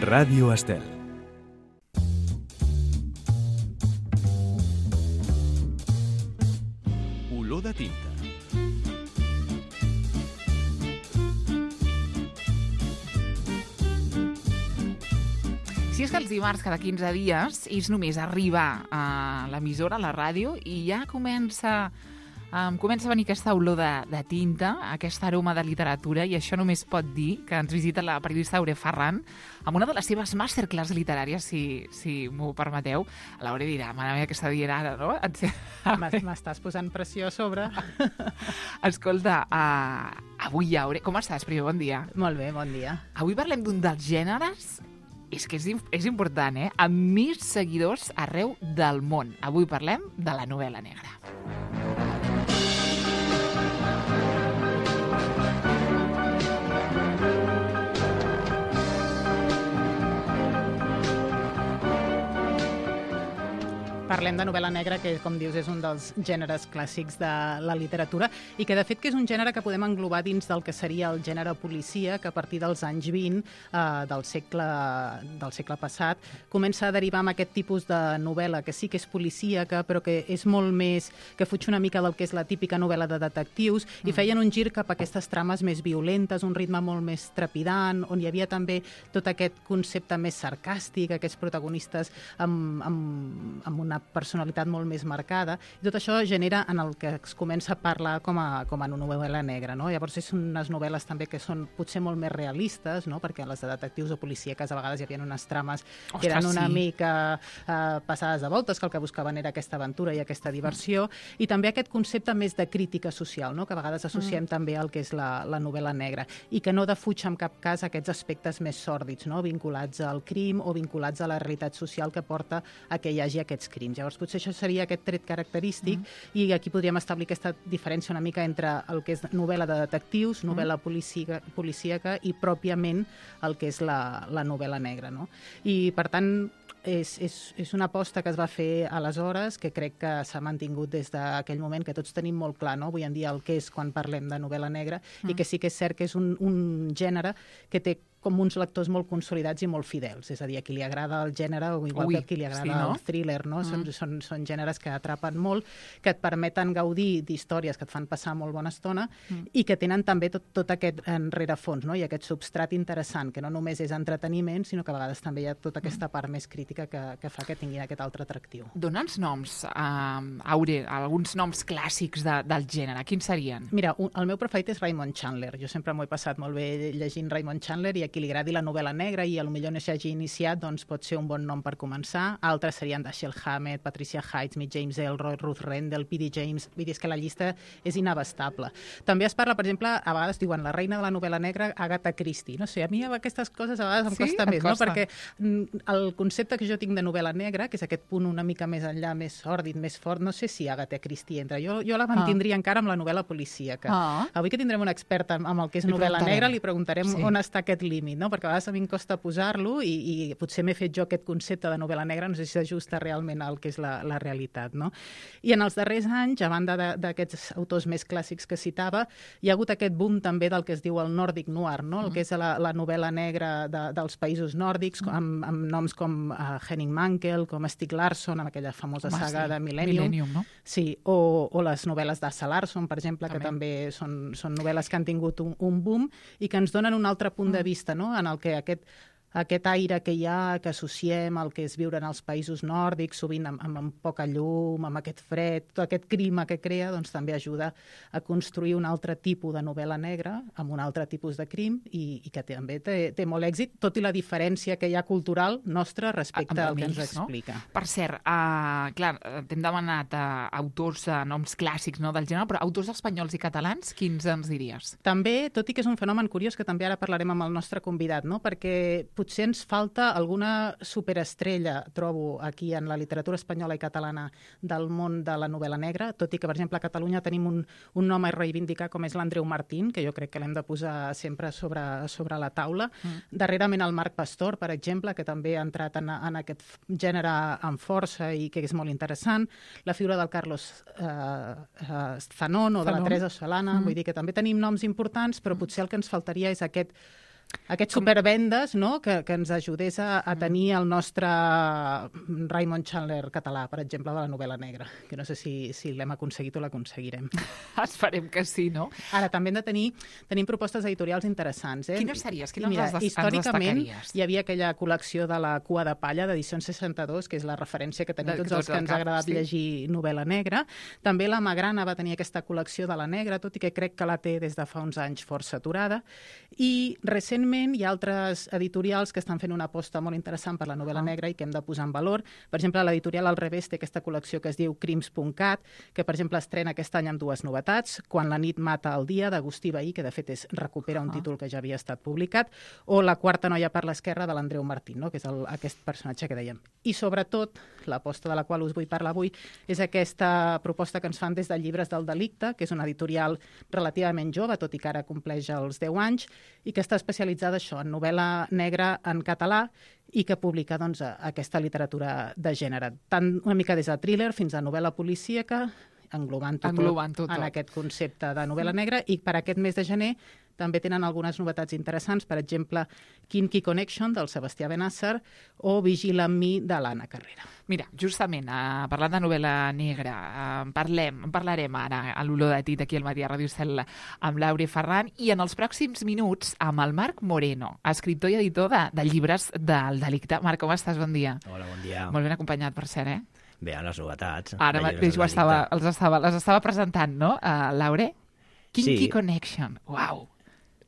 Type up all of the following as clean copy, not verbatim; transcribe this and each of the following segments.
Ràdio Estel. Olor de tinta. Si és que els dimarts cada 15 dies és només arribar a l'emissora, a la ràdio, i ja comença a venir aquesta olor de tinta, aquest aroma de literatura, i això només pot dir que ens visita la periodista Aure Ferran amb una de les seves masterclass literàries, si m'ho permeteu. L'Aure dirà, mare meva, què està dient ara, no? M'estàs posant pressió a sobre. Escolta, avui, Aure, com estàs? Primer, bon dia. Molt bé, bon dia. Avui parlem d'un dels gèneres, és que és important, amb més seguidors arreu del món. Avui parlem de la novel·la negra. Parlem de novel·la negra, que, com dius, és un dels gèneres clàssics de la literatura i que, de fet, que és un gènere que podem englobar dins del que seria el gènere policia, que a partir dels anys 20 del segle passat comença a derivar amb aquest tipus de novel·la que sí que és policíaca, però que és molt més, que fuig una mica del que és la típica novel·la de detectius, i feien un gir cap a aquestes trames més violentes, un ritme molt més trepidant, on hi havia també tot aquest concepte més sarcàstic, aquests protagonistes amb una personalitat molt més marcada, i tot això genera en el que es comença a parlar com a novel·la negra, no? Llavors és unes novel·les també que són potser molt més realistes, no? Perquè les de detectius o policíaques a vegades hi havia unes trames que eren una mica passades de voltes, que el que buscaven era aquesta aventura i aquesta diversió, i també aquest concepte més de crítica social, no? Que a vegades associem també al que és la novel·la negra, i que no defuig en cap cas aquests aspectes més sòrdids, no? Vinculats al crim o vinculats a la realitat social que porta a que hi hagi aquests crims. Llavors, potser això seria aquest tret característic, i aquí podríem establir aquesta diferència una mica entre el que és novel·la de detectius, novel·la policíaca i pròpiament el que és la novel·la negra, no? I, per tant, és una aposta que es va fer aleshores, que crec que s'ha mantingut des d'aquell moment, que tots tenim molt clar, no? Avui en dia el que és quan parlem de novel·la negra, i que sí que és cert que és un gènere que té com uns lectors molt consolidats i molt fidels. És a dir, a qui li agrada el gènere, o igual que a qui li agrada el thriller, no? Són gèneres que atrapen molt, que et permeten gaudir d'històries que et fan passar molt bona estona, i que tenen també tot aquest rerefons, no? I aquest substrat interessant, que no només és entreteniment, sinó que a vegades també hi ha tota aquesta part més crítica que fa que tinguin aquest altre atractiu. Dona'ns noms, Aure, alguns noms clàssics del gènere. Quins serien? Mira, el meu preferit és Raymond Chandler. Jo sempre m'ho he passat molt bé llegint Raymond Chandler, i a qui li agradi la novel·la negra i potser no s'hagi iniciat, doncs pot ser un bon nom per començar. Altres serien Dashiell Hammett, Patricia Highsmith, James Ellroy, Ruth Rendell, P.D. James. Vull dir, és que la llista és inabastable. També es parla, per exemple, a vegades diuen la reina de la novel·la negra, Agatha Christie. No sé, a mi aquestes coses a vegades em costa més, no? Perquè el concepte que jo tinc de novel·la negra, que és aquest punt una mica més enllà, més sòrdid, més fort, no sé si Agatha Christie entra. Jo la mantindria encara amb la novel·la policíaca. Avui que tindrem una experta amb el que és novel·la negra, li preguntarem on està aquest límit, no? Perquè a vegades a mi em costa posar-lo, i potser m'he fet jo aquest concepte de novel·la negra, no sé si s'ajusta realment al que és la realitat, no? I en els darrers anys, a banda d'aquests autors més clàssics que citava, hi ha hagut aquest boom també del que es diu el Nordic Noir, no? El que és la novel·la negra dels països nòrdics, amb noms com Henning Mankell, com Stieg Larsson, amb aquella famosa saga de Millennium, no? Sí, o les novel·les d'Asa Larsson, per exemple, que també són novel·les que han tingut un boom i que ens donen un altre punt de vista, no? En el que aquest aire que hi ha, que associem al que és viure en els països nòrdics, sovint amb poca llum, amb aquest fred, tot aquest clima que crea, doncs també ajuda a construir un altre tipus de novel·la negra, amb un altre tipus de crim, i que també té molt èxit, tot i la diferència que hi ha cultural nostra respecte al que ens explica. No? Per cert, clar, t'hem demanat autors, noms clàssics, no, del gènere, però autors espanyols i catalans, quins ens diries? També, tot i que és un fenomen curiós, que també ara parlarem amb el nostre convidat, no? Perquè potser ens falta alguna superestrella, trobo, aquí en la literatura espanyola i catalana del món de la novel·la negra, tot i que, per exemple, a Catalunya tenim un nom a reivindicar com és l'Andreu Martín, que jo crec que l'hem de posar sempre sobre la taula. Darrerament el Marc Pastor, per exemple, que també ha entrat en aquest gènere amb força i que és molt interessant. La figura del Carlos Zanon o de la Teresa Solana, vull dir que també tenim noms importants, però potser el que ens faltaria és aquest Aquests supervendes, no?, que ens ajudés a tenir el nostre Raymond Chandler català, per exemple, de la novel·la negra, que no sé si l'hem aconseguit o l'aconseguirem. Esperem que sí, no? Ara, també hem de tenim propostes editorials interessants. Quines series? Quines Mira, ens històricament destacaries? hi havia aquella col·lecció de la Cua de Palla, d'edicions 62, que és la referència que tenim tots els que ens ha agradat llegir novel·la negra. També la Magrana va tenir aquesta col·lecció de la negra, tot i que crec que la té des de fa uns anys força aturada. I recentment hi ha altres editorials que estan fent una aposta molt interessant per la novel·la negra i que hem de posar en valor. Per exemple, l'editorial Al Revés té aquesta col·lecció que es diu Crims.cat, que, per exemple, estrena aquest any amb dues novetats: Quan la nit mata el dia, d'Agustí Vehí, que de fet recupera un títol que ja havia estat publicat, o La quarta noia per l'esquerra, de l'Andreu Martín, no?, que és aquest personatge que dèiem. I, sobretot, l'aposta de la qual us vull parlar avui és aquesta proposta que ens fan des de Llibres del Delicte, que és una editorial relativament jove, tot i que ara compleix els 10 anys, i que està especialitzada això, en novel·la negra en català, i que publica doncs, aquesta literatura de gènere, tant una mica des de thriller fins a novel·la policíaca, englobant-ho tot en aquest concepte de novel·la negra. I per aquest mes de gener també tenen algunes novetats interessants, per exemple, Kinky Connection, del Sebastià Benàsser, o Vigila amb mi, de l'Anna Carrera. Mira, justament, parlant de novel·la negra, parlarem ara a l'Olor de Tinta aquí al Matí a Ràdio Estel amb l'Aure Ferran, i en els pròxims minuts amb el Marc Moreno, escriptor i editor de Llibres del Delicte. Marc, com estàs? Bon dia. Hola, bon dia. Molt ben acompanyat, per cert, eh? Bé, les novetats. Ara mateix les estava presentant, no, Laure? Kinky Connection, uau!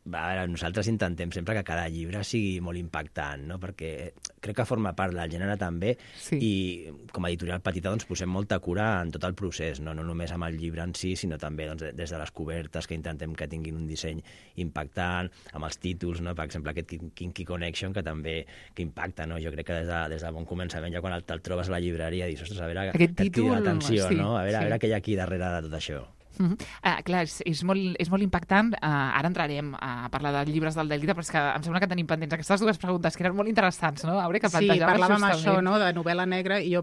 A veure, nosaltres intentem sempre que cada llibre sigui molt impactant, no?, perquè crec que forma part del gènere també, i com a editorial petita doncs, posem molta cura en tot el procés, no només amb el llibre en si, sinó també doncs, des de les cobertes, que intentem que tinguin un disseny impactant, amb els títols, no?, per exemple aquest Kinky Connection, que també impacta, no? Jo crec que des de bon començament, ja quan te'l trobes a la llibreria, dius, ostres, a veure, aquest títol, l'atenció, no? A veure què hi ha aquí darrere de tot això. Clar, és molt impactant. Ara entrarem a parlar de Llibres del Delicte, però és que em sembla que tenim pendents aquestes dues preguntes que eren molt interessants, no? Sí, parlàvem això, no?, de novel·la negra, i jo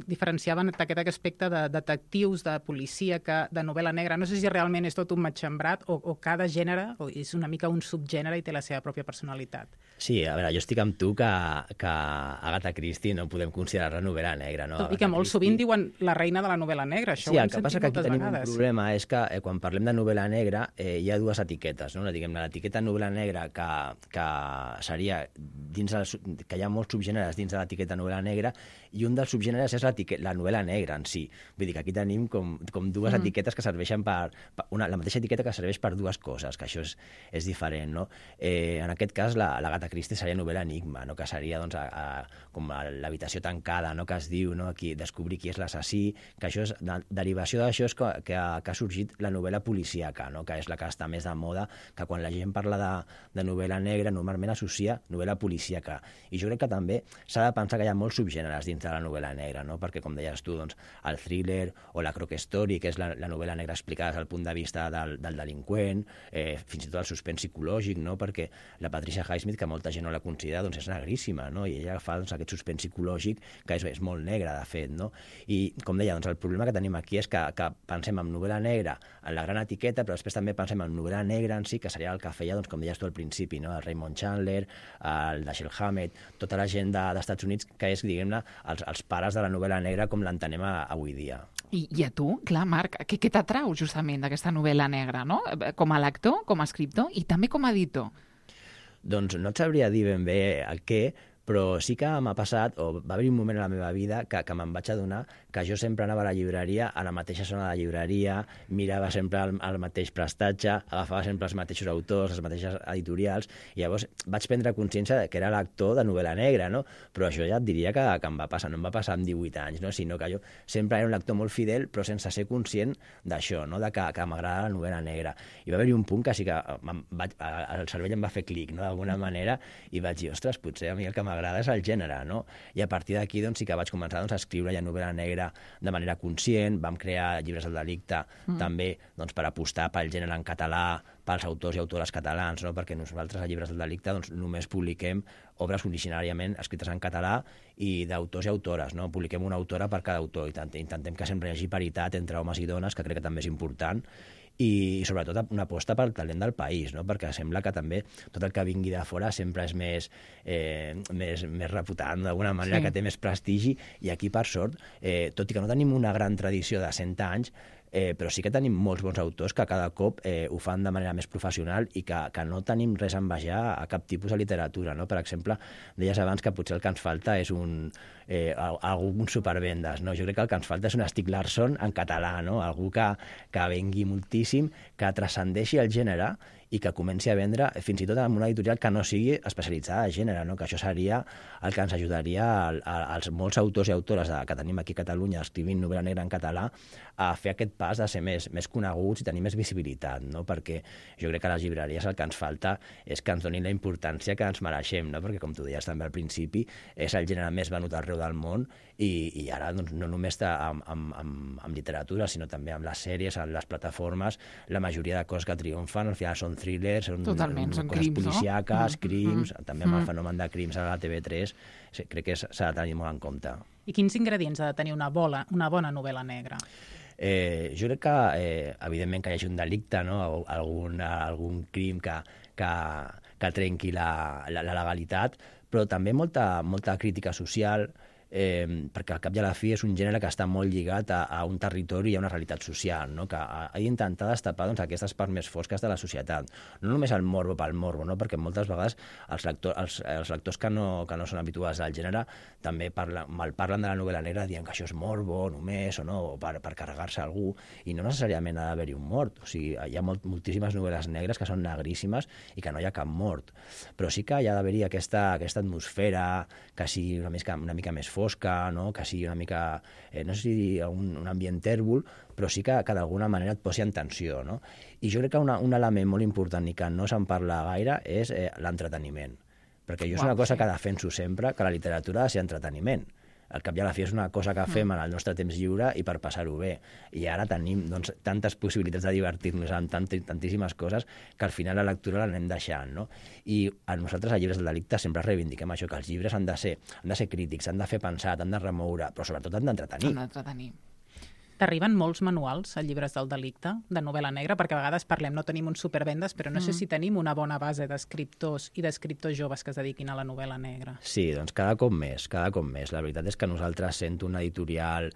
diferenciava aquest aspecte de detectius, de policia, de novel·la negra. No sé si realment és tot un matxembrat o cada gènere és una mica un subgènere i té la seva pròpia personalitat. Sí, a veure, jo estic amb tu que Agatha Christie no podem considerar-la novel·la negra, no? I que molt sovint diuen la reina de la novel·la negra, això ho hem sentit moltes vegades. Un problema és que quan parlem de novel·la negra hi ha dues etiquetes, no? L'etiqueta novel·la negra, que seria que hi ha molts subgèneres dins de l'etiqueta novel·la negra, i un dels subgèneres és la novel·la negra en si. Vull dir que aquí tenim com dues etiquetes que serveixen la mateixa etiqueta que serveix per dues coses, que això és diferent, no? En aquest cas, l'Agatha Christie seria novel·la enigma, no?, que seria doncs, com l'habitació tancada, no?, que es diu, no?, descobrir qui és l'assassí, que això és derivació d'això, és que ha sorgit la novel·la policíaca, no?, que és la que està més de moda, que quan la gent parla de novel·la negra normalment associa novel·la policíaca. I jo crec que també s'ha de pensar que hi ha molts subgèneres dins de la novel·la negra, no?, perquè, com deies tu, doncs, el thriller o la crook story, que és la novel·la negra explicada des del punt de vista del delinqüent, fins i tot el suspens psicològic, no?, perquè la Patricia Highsmith, que molta gent no la considera, doncs és negríssima, no?, i ella fa aquest suspens psicològic que és molt negre, de fet, no? I, com deia, doncs, el problema que tenim aquí és que pensem en novel·la negra en la gran etiqueta, però després també pensem en novel·la negra en si, que seria el que feia, doncs, com deies tu al principi, no?, el Raymond Chandler, el Dashiell Hammett, tota la gent d'Estats Units, que és, diguem-ne, els pares de la novel·la negra com l'entenem avui dia. I a tu, clar, Marc, què t'atrau justament d'aquesta novel·la negra, no?, com a lector, com a escriptor i també com a editor? Doncs no et sabria dir ben bé el què, però sí que m'ha passat, o va haver un moment a la meva vida que me'n vaig adonar que jo sempre anava a la llibreria, a la mateixa zona de la llibreria, mirava sempre el mateix prestatge, agafava sempre els mateixos autors, les mateixes editorials, i llavors vaig prendre consciència que era lector de novel·la negra, no? Però això ja et diria que em va passar, no em va passar amb 18 anys, no? Sinó que jo sempre era un lector molt fidel, però sense ser conscient d'això, no?, de que m'agrada la novel·la negra. I va haver-hi un punt que sí que el cervell em va fer clic, no?, d'alguna manera, i vaig dir, ostres, potser a mi el que m'agrada és el gènere, no? I a partir d'aquí doncs, sí que vaig començar a escriure ja novel·la negra de manera conscient, vam crear Llibres del Delicte també doncs, per apostar pel gènere en català, pels autors i autores catalans, no? Perquè nosaltres a Llibres del Delicte doncs, només publiquem obres originàriament escrites en català i d'autors i autores, no? Publiquem una autora per cada autor i intentem que sempre hi hagi paritat entre homes i dones, que crec que també és important. i sobretot una aposta pel talent del país, no? Perquè sembla que també tot el que vingui de fora sempre és més reputant, d'alguna manera, que té més prestigi, i aquí, per sort, tot i que no tenim una gran tradició de 100 anys, però sí que tenim molts bons autors que cada cop ho fan de manera més professional i que no tenim res a envejar a cap tipus de literatura, no? Per exemple, deies abans que potser el que ens falta és algun supervendes, no? Jo crec que el que ens falta és un Stieg Larsson en català, no? Algú que vengui moltíssim, que transcendeixi el gènere i que comenci a vendre fins i tot en una editorial que no sigui especialitzada en gènere, no? Que això seria el que ens ajudaria als molts autors i autores que tenim aquí a Catalunya escrivint novel·la negra en català a fer aquest pas de ser més coneguts i tenir més visibilitat, no? Perquè jo crec que a les llibreries el que ens falta és que ens donin la importància que ens mereixem, no? Perquè, com tu deies també al principi, és el gènere més venut arreu del món i ara doncs, no només amb literatura, sinó també amb les sèries, amb les plataformes, la majoria de coses que triomfen al final són thrillers, són coses crims, policíaques, crims, també amb el fenomen de crims a la TV3, crec que s'ha de tenir molt en compte. I quins ingredients ha de tenir una bona novel·la negra? Jo crec que, evidentment, que hi hagi un delicte, no? Algun crim que trenqui la legalitat, però també molta crítica social, perquè al cap i a la fi és un gènere que està molt lligat a un territori i a una realitat social, no? Que ha d'intentar destapar doncs, aquestes parts més fosques de la societat. No només el morbo pel morbo, no? Perquè moltes vegades els lectors que no són habituals al gènere també malparlen de la novel·la negra dient que això és morbo només o no, o per carregar-se algú, i no necessàriament ha d'haver-hi un mort. O sigui, hi ha moltíssimes novel·les negres que són negríssimes i que no hi ha cap mort. Però sí que hi ha d'haver-hi aquesta atmosfera que sigui una mica més fosca, no? Que sigui una mica, no sé si dir un ambient tèrbol, però sí que d'alguna manera et posi en tensió, no? I jo crec que un element molt important i que no se'n parla gaire és l'entreteniment. Perquè jo és una cosa que defenso sempre, que la literatura ha de ser entreteniment. Al cap i a la fi és una cosa que fem en el nostre temps lliure i per passar-ho bé. I ara tenim doncs, tantes possibilitats de divertir-nos amb tantíssimes coses que al final la lectura l'anem deixant, no? I a nosaltres, a Llibres del Delicte, sempre reivindiquem això, que els llibres han de ser crítics, han de fer pensar, han de remoure, però sobretot han d'entretenir. T'arriben molts manuals a Llibres del Delicte, de novel·la negra, perquè a vegades parlem, no tenim un supervendes, però no sé si tenim una bona base d'escriptors i d'escriptors joves que es dediquin a la novel·la negra. Sí, doncs cada cop més. La veritat és que nosaltres sent una editorial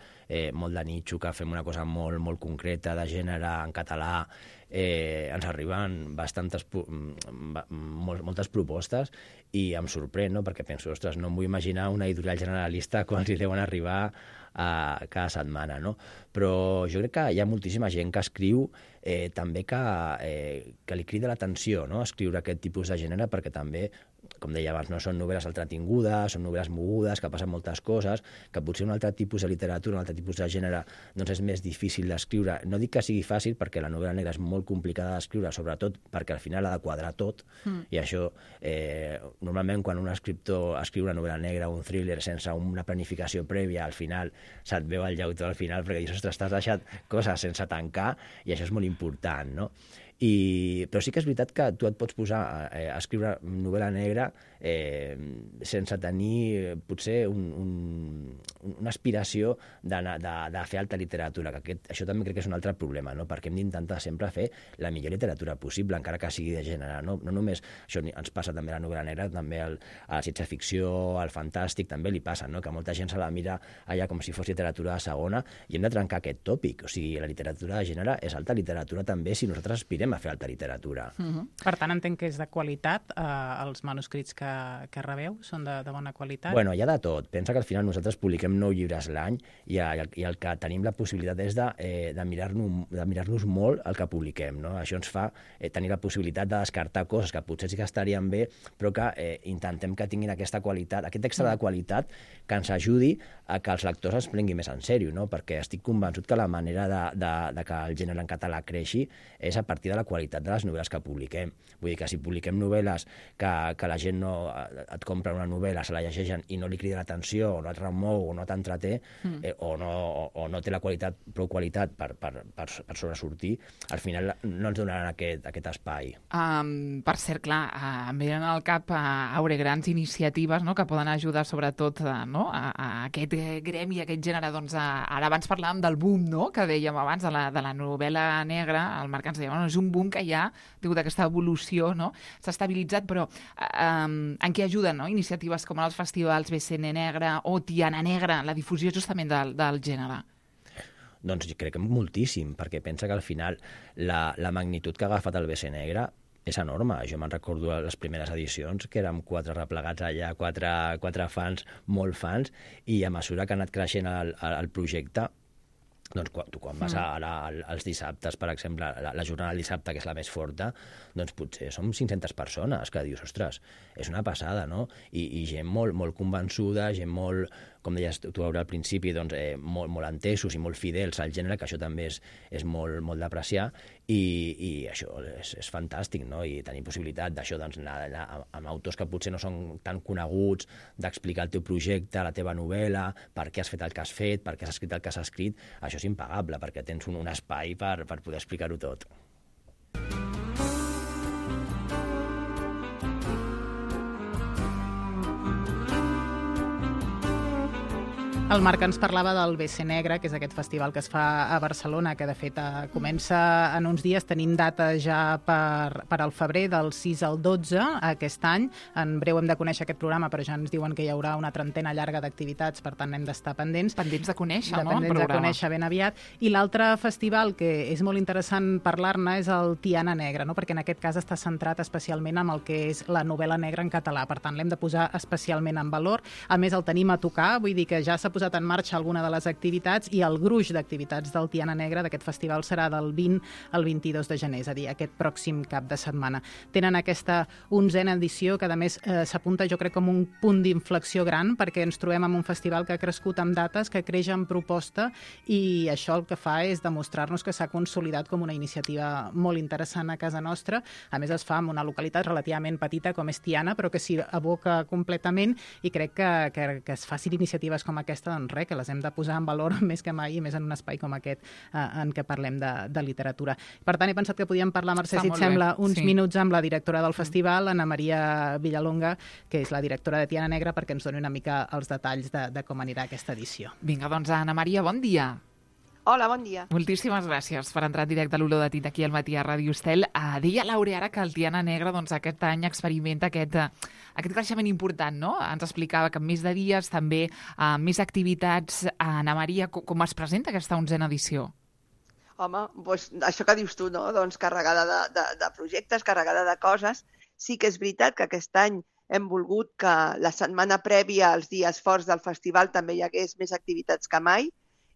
molt de nitxo, que fem una cosa molt, molt concreta, de gènere en català, ens arriben moltes propostes i em sorprèn, no? Perquè penso, ostres, no em vull imaginar una editorial generalista quan li deuen arribar cada setmana, no? Però jo crec que hi ha moltíssima gent que escriu també que li crida l'atenció, no? Escriure aquest tipus de gènere, perquè també, com deia abans, no són novel·les entretingudes, són novel·les mogudes, que passen moltes coses, que potser un altre tipus de literatura, un altre tipus de gènere, doncs és més difícil d'escriure. No dic que sigui fàcil, perquè la novel·la negra és molt complicada d'escriure, sobretot perquè al final ha de quadrar tot, i això, normalment, quan un escriptor escriu una novel·la negra o un thriller sense una planificació prèvia, al final se't veu el llautó al final, perquè dius, ostres, t'has deixat coses sense tancar, i això és molt important, no? Però sí que és veritat que tu et pots posar a escriure novel·la negra sense tenir potser una aspiració de fer alta literatura, que això també crec que és un altre problema, no? Perquè hem d'intentar sempre fer la millor literatura possible, encara que sigui de gènere, no només això ens passa també a la novel·la negra, també a la ciència-ficció, al fantàstic, també li passa, no? Que molta gent se la mira allà com si fos literatura de segona, i hem de trencar aquest tòpic. O sigui, la literatura de gènere és alta literatura també si nosaltres aspirem a fer alta literatura. Per tant, entenc que és de qualitat. Els manuscrits que rebeu són de bona qualitat? Bueno, hi ha de tot. Pensa que al final nosaltres publiquem 9 llibres l'any i el que tenim la possibilitat és de mirar-nos molt el que publiquem, no? Això ens fa tenir la possibilitat de descartar coses que potser sí que estarien bé, però que intentem que tinguin aquesta qualitat, aquest extra de qualitat que ens ajudi a que els lectors es prenguin més en sèrio, no? Perquè estic convençut que la manera de que el gènere en català creixi és a partir de la qualitat de les novel·les que publiquem. Vull dir que si publiquem novel·les que la gent no et compra una novel·la, se la llegeixen i no li crida l'atenció, o no et remou, o no t'entreté, o no té la prou qualitat per sobresortir, al final no ens donaran aquest espai. Per cert, clar, em venen al cap grans iniciatives, no?, que poden ajudar sobretot a aquest gremi, a aquest gènere. Doncs ara abans parlàvem del boom, no?, que dèiem abans, de la novel·la negra. El Marc ens deia, és un boom que ja, degut a aquesta evolució, no?, s'ha estabilitzat, però en què ajuden, no?, iniciatives com els festivals BCN Negra o Tiana Negra, la difusió justament del gènere? Doncs jo crec que moltíssim, perquè pensa que al final la magnitud que ha agafat el BC Negra és enorme. Jo me'n recordo les primeres edicions, que érem 4 replegats allà, 4 fans, molt fans, i a mesura que ha anat creixent el projecte, doncs quan vas als dissabtes, per exemple, la jornada del dissabte, que és la més forta, doncs potser som 500 persones, que dius, ostres, és una passada, no? I gent molt convençuda, gent molt, com deies tu al principi, doncs, molt entesos i molt fidels al gènere, que això també és molt d'apreciar, i això és fantàstic, no? I tenir possibilitat d'això, doncs, anar amb autors que potser no són tan coneguts, d'explicar el teu projecte, la teva novel·la, per què has fet el que has fet, per què has escrit el que has escrit, això és impagable, perquè tens un espai per poder explicar-ho tot. El Marc ens parlava del BC Negra, que és aquest festival que es fa a Barcelona, que de fet comença en uns dies. Tenim data ja per al febrer, del 6 al 12 aquest any. En breu hem de conèixer aquest programa, però ja ens diuen que hi haurà una trentena llarga d'activitats, per tant hem d'estar pendents. Pendents de conèixer, no?, Pendents de conèixer ben aviat. I l'altre festival que és molt interessant parlar-ne és el Tiana Negra, no?, perquè en aquest cas està centrat especialment en el que és la novel·la negra en català. Per tant, l'hem de posar especialment en valor. A més, el tenim a tocar, vull dir que ja s'ha posat en marxa alguna de les activitats, i el gruix d'activitats del Tiana Negra d'aquest festival serà del 20 al 22 de gener, és a dir, aquest pròxim cap de setmana. Tenen aquesta 11a edició, que a més s'apunta, jo crec, com un punt d'inflexió gran, perquè ens trobem amb un festival que ha crescut amb dates, que creix en proposta, i això el que fa és demostrar-nos que s'ha consolidat com una iniciativa molt interessant a casa nostra. A més, es fa en una localitat relativament petita com és Tiana, però que s'hi aboca completament, i crec que es facin iniciatives com aquesta, doncs res, que les hem de posar en valor més que mai, i més en un espai com aquest en què parlem de literatura. Per tant, he pensat que podíem parlar, Mercè, si et sembla, uns minuts amb la directora del festival, Ana Maria Villalonga, que és la directora de Tiana Negra, perquè ens doni una mica els detalls de com anirà aquesta edició. Vinga, doncs, Ana Maria, bon dia. Hola, bon dia. Moltíssimes gràcies per entrar en directe a l'Olor de Tinta aquí al matí a Ràdio Estel. Deia l'Aure ara que el Tiana Negra doncs, aquest any experimenta aquest creixement important, no? Ens explicava que en més de dies, també més activitats. Ana Maria, com es presenta aquesta 11a edició? Home, doncs això que dius tu, no? Doncs carregada de projectes, carregada de coses. Sí que és veritat que aquest any hem volgut que la setmana prèvia als dies forts del festival també hi hagués més activitats que mai,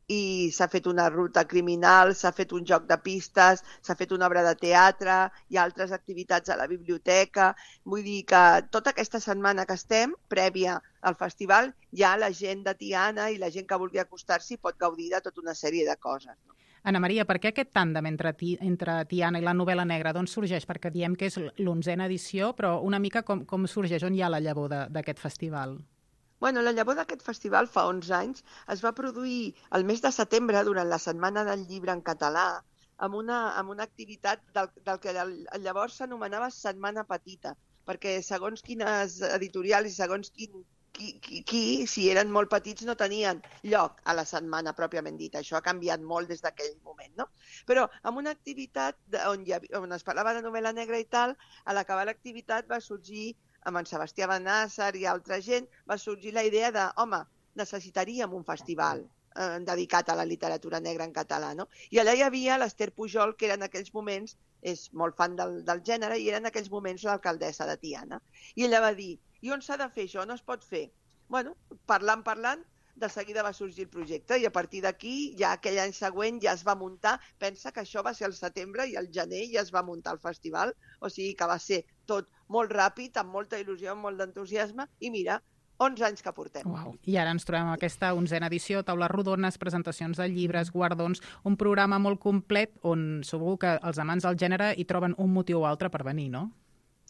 i s'ha fet una ruta criminal, s'ha fet un joc de pistes, s'ha fet una obra de teatre, hi ha altres activitats a la biblioteca. Vull dir que tota aquesta setmana que estem, prèvia al festival, ja la gent de Tiana i la gent que vulgui acostar-s'hi pot gaudir de tota una sèrie de coses. Ana Maria, per què aquest tàndem entre Tiana i la novel·la negra? D'on sorgeix? Perquè diem que és l'11a edició, però una mica com sorgeix? On hi ha la llavor d'aquest festival? Bueno, la llavor d'aquest festival fa 11 anys es va produir el mes de setembre, durant la Setmana del Llibre en català, amb una activitat del que llavors s'anomenava Setmana Petita, perquè segons quines editorials i segons qui, si eren molt petits, no tenien lloc a la setmana pròpiament dita. Això ha canviat molt des d'aquell moment, no? Però amb una activitat on es parlava de novel·la negra i tal, a l'acabar l'activitat va sorgir, amb en Sebastià Benàsser i altra gent, va sorgir la idea de, home, necessitaríem un festival dedicat a la literatura negra en català, no? I allà hi havia l'Ester Pujol, que era en aquells moments, és molt fan del gènere, i era en aquells moments l'alcaldessa de Tiana. I ella va dir, i on s'ha de fer això? No es pot fer. Bueno, parlant, de seguida va sorgir el projecte, i a partir d'aquí, ja aquell any següent ja es va muntar. Pensa que això va ser al setembre, i al gener ja es va muntar el festival, o sigui que va ser tot molt ràpid, amb molta il·lusió, amb molt d'entusiasme, i mira, 11 anys que portem. Uau. I ara ens trobem amb aquesta 11a edició, taules rodones, presentacions de llibres, guardons, un programa molt complet on segur que els amants del gènere hi troben un motiu o altre per venir, no?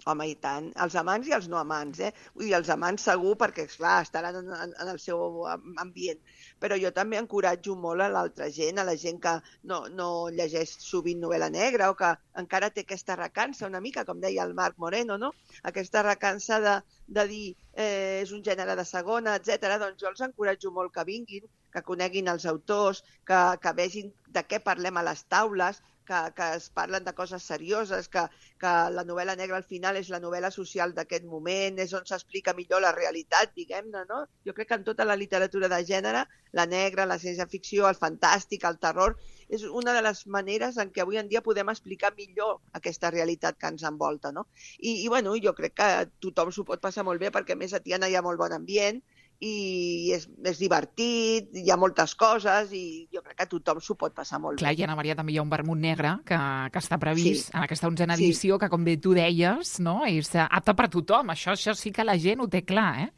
Home, i tant. Els amants i els no amants, Vull dir, els amants segur, perquè, esclar, estaran en el seu ambient. Però jo també encoratjo molt a l'altra gent, a la gent que no llegeix sovint novel·la negra o que encara té aquesta recança una mica, com deia el Marc Moreno, no? Aquesta recança de dir és un gènere de segona, etc. Doncs jo els encoratjo molt que vinguin, que coneguin els autors, que vegin de què parlem a les taules, que es parlen de coses serioses, que la novel·la negra al final és la novel·la social d'aquest moment, és on s'explica millor la realitat, diguem-ne, no? Jo crec que en tota la literatura de gènere, la negra, la ciència-ficció, el fantàstic, el terror, és una de les maneres en què avui en dia podem explicar millor aquesta realitat que ens envolta, no? I bueno, jo crec que tothom s'ho pot passar molt bé, perquè a més a Tiana hi ha molt bon ambient, i és divertit, hi ha moltes coses i jo crec que tothom s'ho pot passar molt Clar, bé. i Anna Maria, també hi ha un vermut negre que està previst en aquesta 11a edició, que com bé tu deies, no? És apte per tothom. Això sí que la gent ho té clar,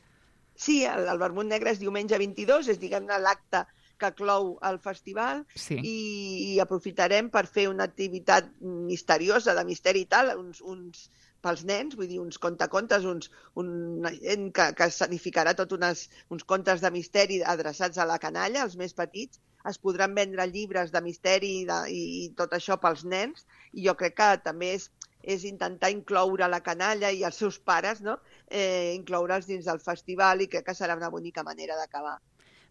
Sí, el vermut negre és diumenge 22, és diguem-ne l'acte que clou el festival i aprofitarem per fer una activitat misteriosa, de misteri i tal, uns pels nens, vull dir, uns contacontes, una gent que escenificarà uns contes de misteri adreçats a la canalla, als més petits. Es podran vendre llibres de misteri i tot això pels nens, i jo crec que també és intentar incloure la canalla i els seus pares, no? Incloure'ls dins del festival, i crec que serà una bonica manera d'acabar.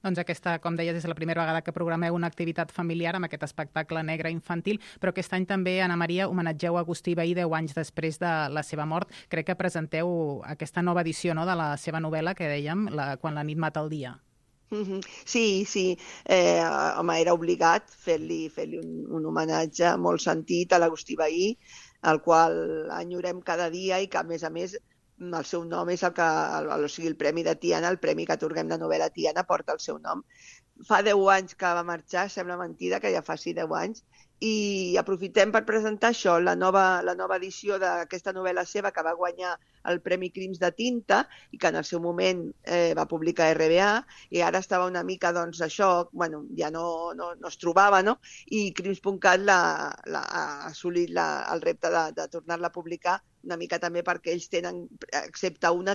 Doncs aquesta, com deies, és la primera vegada que programeu una activitat familiar amb aquest espectacle negre infantil, però aquest any també, Anna Maria, homenatgeu Agustí Vehí 10 anys després de la seva mort. Crec que presenteu aquesta nova edició, no?, de la seva novel·la, que dèiem, Quan la nit mata el dia. Sí. Home, era obligat fer-li un homenatge molt sentit a l'Agustí Vehí, al qual enyorem cada dia i que, a més, el seu nom és el Premi de Tiana, el premi que atorguem de novel·la Tiana porta el seu nom. Fa 10 anys que va marxar, sembla mentida que ja faci 10 anys, i aprofitem per presentar això, la nova edició d'aquesta novel·la seva que va guanyar el Premi Crims de Tinta i que en el seu moment va publicar RBA, i ara estava una mica, doncs, això, bueno, ja no es trobava, no? I Crims.cat ha assolit el repte de tornar-la a publicar, una mica també perquè ells tenen, excepte una,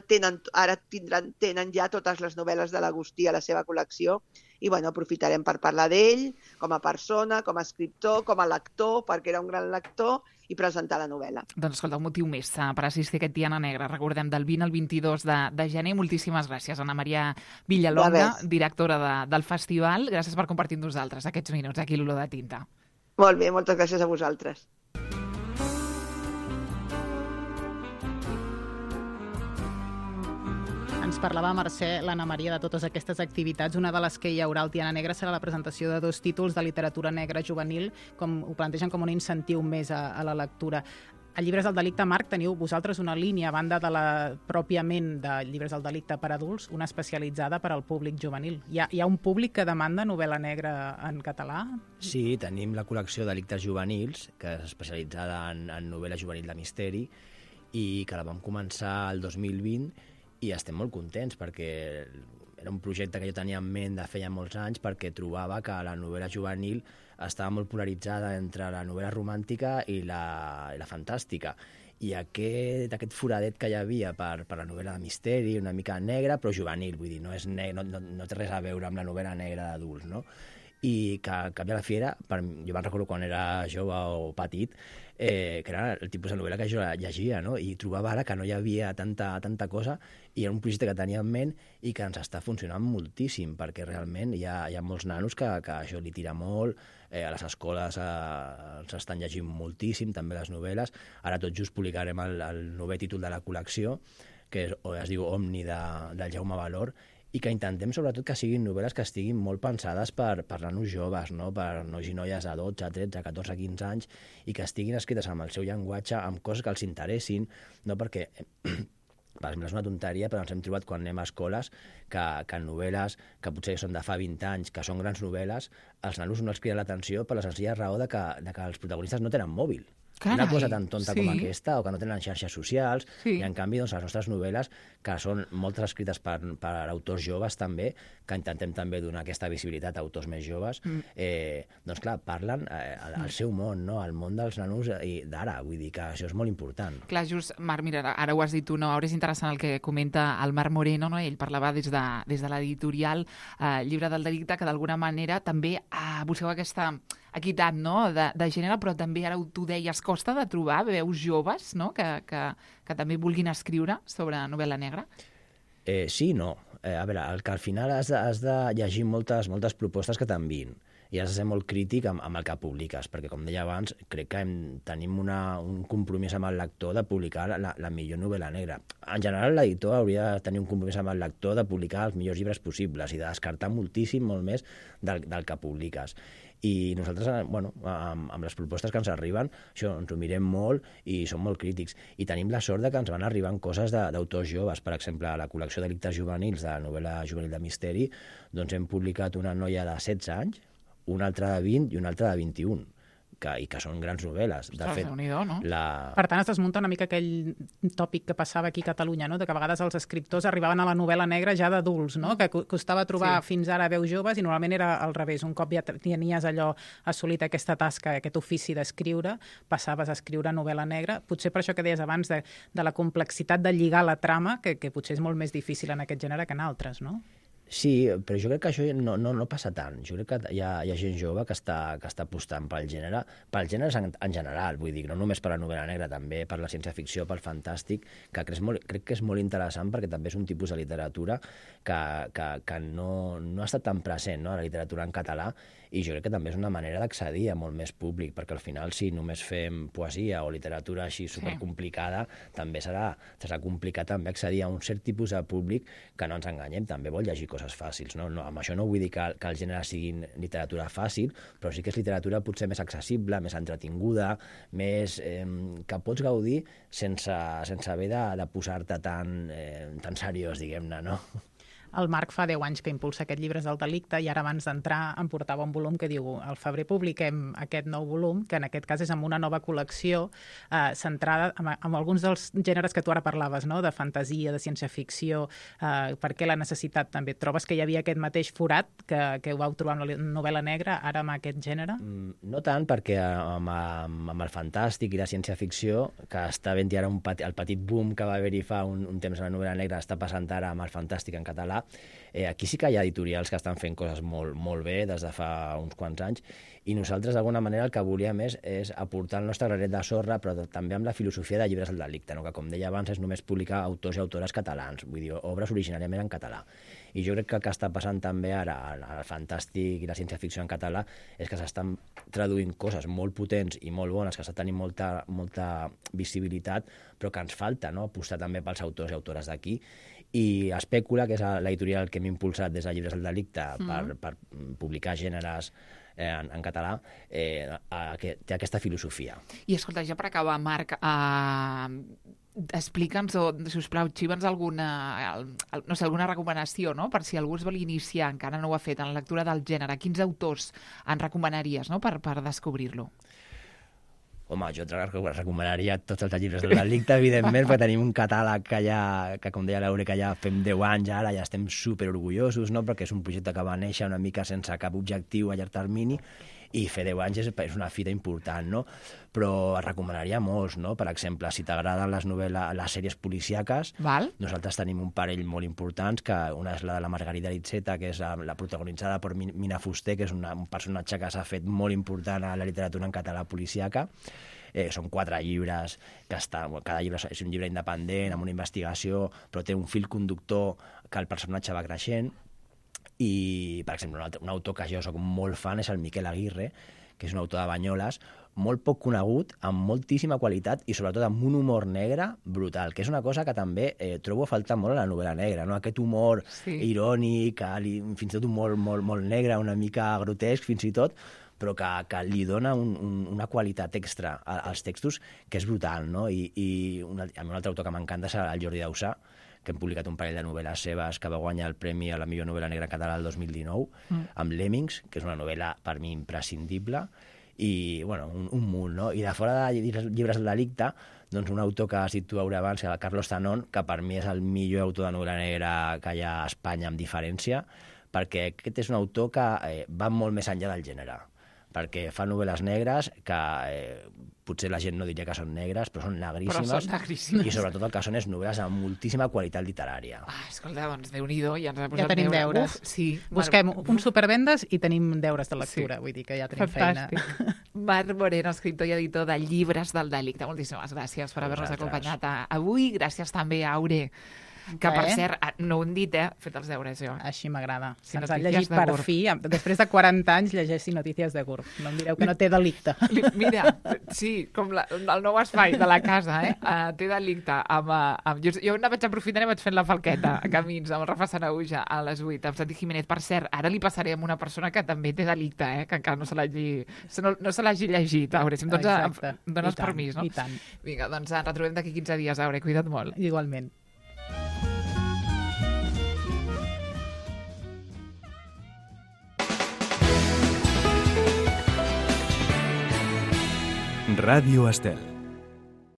ara tenen ja totes les novel·les de l'Agustí a la seva col·lecció, i bueno, aprofitarem per parlar d'ell com a persona, com a escriptor, com a lector, perquè era un gran lector, i presentar la novel·la. Doncs escolta, un motiu més per assistir a aquest Tiana Negra. Recordem, del 20 al 22 de gener. Moltíssimes gràcies, Anna Maria Villalonga, directora del festival. Gràcies per compartir amb nosaltres aquests minuts aquí a l'Olor de Tinta. Molt bé, moltes gràcies a vosaltres. Ens parlava Mercè, l'Anna Maria, de totes aquestes activitats. Una de les que hi haurà al Tiana Negra serà la presentació de 2 títols de literatura negra juvenil, com ho plantegen com un incentiu més a la lectura. A Llibres del Delicte, Marc, teniu vosaltres una línia, a banda de la pròpiament de Llibres del Delicte per adults, una especialitzada per al públic juvenil. Hi ha un públic que demanda novel·la negra en català? Sí, tenim la col·lecció Delictes Juvenils, que és especialitzada en novel·la juvenil de misteri, i que la vam començar el 2020, i estem molt contents perquè era un projecte que jo tenia en ment de feia molts anys, perquè trobava que la novel·la juvenil estava molt polaritzada entre la novel·la romàntica i la fantàstica. I aquest foradet que hi havia per la novel·la de misteri, una mica negra, però juvenil, vull dir, no té res a veure amb la novel·la negra d'adults, no? I que al cap i a la fi era, jo me'n recordo quan era jove o petit, que era el tipus de novel·la que jo llegia, no? I trobava ara que no hi havia tanta cosa, i era un projecte que tenia en ment i que ens està funcionant moltíssim, perquè realment hi ha molts nanos que això li tira molt, a les escoles els estan llegint moltíssim, també les novel·les. Ara tot just publicarem el 9è títol de la col·lecció, que es diu Omni, del Jaume Valor, i que intentem sobretot que siguin novel·les que estiguin molt pensades per nanos joves, no? Per nois i noies de 12, 13, 14, 15 anys, i que estiguin escrites amb el seu llenguatge, amb coses que els interessin, no? Perquè, per exemple, és una tonteria, però ens hem trobat quan anem a escoles que novel·les que potser són de fa 20 anys, que són grans novel·les, els nanos no els criden l'atenció per la senzilla raó de que els protagonistes no tenen mòbil. Carai, una cosa tan tonta sí. com aquesta, o que no tenen xarxes socials, Sí. i en canvi doncs, les nostres novel·les, que són moltes escrites per autors joves també, que intentem també donar aquesta visibilitat a autors més joves, doncs clar, parlen al seu món, no? Al món dels nanos d'ara, vull dir que això és molt important. Clar, just, Marc, mira, ara ho has dit tu, no? Ara és interessant el que comenta el Marc Moreno, no? Ell parlava des de l'editorial Llibre del Delicte, que d'alguna manera també busqueu aquesta equitat, no? de gènere, però també, ara tu deies, costa de trobar veus joves, no? que també vulguin escriure sobre novel·la negra? Sí i no. A veure, que al final has de llegir moltes propostes que t'envien i has de ser molt crític amb el que publiques, perquè, com deia abans, crec que tenim un compromís amb el lector de publicar la millor novel·la negra. En general, l'editor hauria de tenir un compromís amb el lector de publicar els millors llibres possibles i de descartar moltíssim, molt més del que publiques. I nosaltres, bueno, amb les propostes que ens arriben, això, ens ho mirem molt i som molt crítics. I tenim la sort de que ens van arribant coses d'autors joves. Per exemple, a la col·lecció Delictes juvenils, de la novel·la juvenil de misteri, doncs hem publicat una noia de 16 anys, una altra de 20 i una altra de 21. I que són grans novel·les. De fet, no? Per tant, es desmunta una mica aquell tòpic que passava aquí a Catalunya, no? De que a vegades els escriptors arribaven a la novel·la negra ja d'adults, no? Que costava trobar fins ara veus joves i normalment era al revés. Un cop ja tenies allò assolit aquesta tasca, aquest ofici d'escriure, passaves a escriure novel·la negra. Potser per això que deies abans de la complexitat de lligar la trama, que potser és molt més difícil en aquest gènere que en altres, no? Sí, però jo crec que això no passa tant. Jo crec que hi ha gent jove que està apostant pel gènere en general, vull dir, no només per la novel·la negra, també per la ciència-ficció, pel fantàstic, que crec que és molt interessant perquè també és un tipus de literatura que no ha estat tan present, no?, la literatura en català, i jo crec que també és una manera d'accedir a molt més públic, perquè al final si només fem poesia o literatura així supercomplicada, també serà complicat també accedir a un cert tipus de públic que, no ens enganyem, també vol llegir coses fàcils. No, amb això no vull dir que el gènere sigui literatura fàcil, però sí que és literatura potser més accessible, més entretinguda, més que pots gaudir sense haver de posar-te tan seriós, diguem-ne, no? El Marc fa 10 anys que impulsa aquest Llibres del Delicte i ara abans d'entrar em portava un volum que diu al febrer publiquem aquest nou volum, que en aquest cas és amb una nova col·lecció centrada en alguns dels gèneres que tu ara parlaves, no?, de fantasia, de ciència-ficció. Per què la necessitat també? Trobes que hi havia aquest mateix forat que ho vau trobar amb la novel·la negra, ara amb aquest gènere? No tant, perquè amb el fantàstic i la ciència-ficció, que està havent-hi ara el petit boom que va haver-hi fa un temps a la novel·la negra, està passant ara amb el fantàstic en català. Aquí sí que hi ha editorials que estan fent coses molt bé des de fa uns quants anys, i nosaltres d'alguna manera el que volíem és aportar el nostre granet de sorra, però també amb la filosofia de Llibres del Delicte, no? Que, com deia abans, és només publicar autors i autores catalans, vull dir, obres originàriament en català. I jo crec que el que està passant també ara al fantàstic i la ciència-ficció en català és que s'estan traduint coses molt potents i molt bones, que estan tenint molta visibilitat, però que ens falta, no?, apostar també pels autors i autores d'aquí. I Espècula, que és l'editorial que hem impulsat des de Llibres del Delicte per publicar gèneres en català, que té aquesta filosofia. I escolta, ja per acabar, Marc, explica'ns, o, sisplau, xiva'ns alguna recomanació, no?, per si algú es vol iniciar, encara no ho ha fet, en la lectura del gènere. Quins autors ens recomanaries, no?, per descobrir-lo? Home, jo recomanaria tots els llibres del Delicte, evidentment, perquè tenim un catàleg que, com deia l'Eureka, ja fem 10 anys, ara ja estem superorgullosos, no?, perquè és un projecte que va néixer una mica sense cap objectiu a llarg termini, i fer 10 anys és una fita important, no? Però recomanaria molts, no? Per exemple, si t'agraden les sèries policíaques, nosaltres tenim un parell molt importants, que una és la de la Margarida Ritzeta, que és la protagonitzada per Mina Fuster, que és un personatge que s'ha fet molt important a la literatura en català policíaca. Són 4 llibres, cada llibre és un llibre independent, amb una investigació, però té un fil conductor que el personatge va creixent. I, per exemple, un autor que jo soc molt fan és el Miquel Aguirre, que és un autor de Banyoles, molt poc conegut, amb moltíssima qualitat i sobretot amb un humor negre brutal, que és una cosa que també trobo a faltar molt a la novel·la negra, no? Aquest humor irònic, fins i tot humor molt negre, una mica grotesc fins i tot, però que li dona una qualitat extra als textos que és brutal, no? I un altre autor que m'encanta és el Jordi Dausà, que hem publicat un parell de novel·les seves, que va guanyar el Premi a la millor novel·la negra català el 2019, amb Lemmings, que és una novel·la per mi imprescindible, i bueno, un munt, no? I de fora de llibres del delicte, doncs un autor que has dit tu abans, el Carlos Zanón, que per mi és el millor autor de novel·la negra que hi ha a Espanya amb diferència, perquè aquest és un autor que va molt més enllà del gènere, perquè fa novel·les negres que potser la gent no diria que són negres, però són negríssimes, i sobretot el que són és novel·les amb moltíssima qualitat literària. Escolta, doncs Déu-n'hi-do, ja ens ha posat ja tenim deures. Sí. Busquem un supervendes i tenim deures de lectura, vull dir que ja tenim fantàstic. feina. Marc Moreno, escriptor i editor de Llibres del Delicte. Moltíssimes gràcies per haver-nos acompanyat avui. Gràcies també a Aure, que per cert, no ho hem dit, he fet els deures jo. Així m'agrada. Sí, Se'ns ha llegit per fi, després de 40 anys llegeixi Notícies de GURB. No em direu que no té delicte. Mira, sí, com el nou espai de la casa, té delicte. Jo no vaig aprofitar i vaig fent la falqueta a Camins, amb el Rafa Sanahuja a les 8, amb Santi Jiménez. Per cert, ara li passaré amb una persona que també té delicte, que encara no se l'hagi llegit. Aure, si em dones permís, no? I tant. Vinga, doncs ens retrobem d'aquí 15 dies, Aure. Cuida't molt. Igualment. Radio Estel.